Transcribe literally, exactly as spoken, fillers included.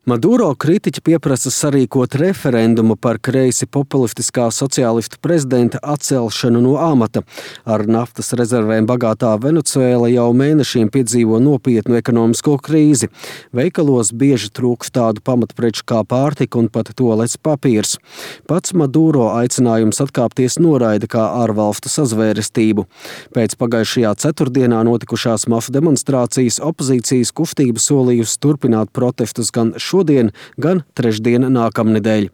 Maduro kritiķi pieprasa sarīkot referendumu par kreisi populistiskā sociālistu prezidenta atcelšanu no amata. Ar naftas rezervēm bagātā Venecuēla jau mēnešiem piedzīvo nopietnu ekonomisko krīzi. Veikalos bieži trūkst tādu pamatpreču kā pārtika un pat tualetes papīrs. Pats Maduro aicinājums atkāpties noraida kā ārvalstu sazvērestību. Pēc pagājušajā ceturtdienā notikušās masu demonstrācijas opozīcijas kustība solījusi turpināt protestus gan šodien, gan trešdien nākamnedēļ.